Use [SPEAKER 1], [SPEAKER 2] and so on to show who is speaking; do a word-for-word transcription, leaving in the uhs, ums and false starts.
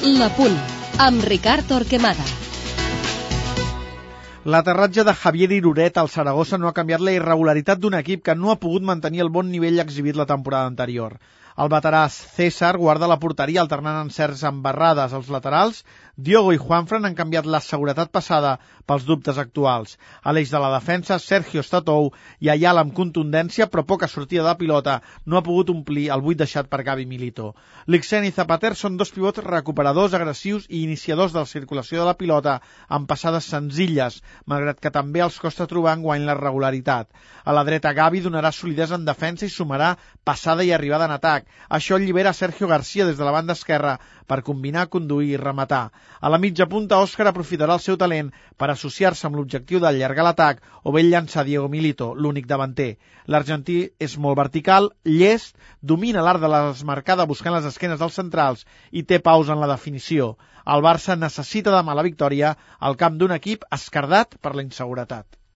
[SPEAKER 1] La Punt, amb Ricard Torquemada.
[SPEAKER 2] L'aterratge de Javier Iruret al Saragossa no ha canviat la irregularitat d'un equip que no ha pogut mantenir el bon nivell exhibit la temporada anterior. El veterà César guarda la porteria alternant encerts amb barrades als laterals. Diogo i Juanfran han canviat la seguretat passada pels dubtes actuals. A l'eix de la defensa, Sergio Statou i Ayala amb contundència, però poca sortida de pilota, no ha pogut omplir el buit deixat per Gavi Milito. Lixen i Zapater són dos pivots recuperadors, agressius i iniciadors de la circulació de la pilota amb passades senzilles, malgrat que també els costa trobar enguany la regularitat. A la dreta, Gavi donarà solidesa en defensa i sumarà passada i arribada en atac. Això allibera Sergio García des de la banda esquerra per combinar, conduir i rematar. A la mitja punta, Òscar aprofitarà el seu talent per associar-se amb l'objectiu d'allargar l'atac o bé llançar Diego Milito, l'únic davanter. L'argentí és molt vertical, llest, domina l'art de la desmarcada buscant les esquenes dels centrals i té pausa en la definició. El Barça necessita demà la victòria al camp d'un equip escardat per la inseguretat.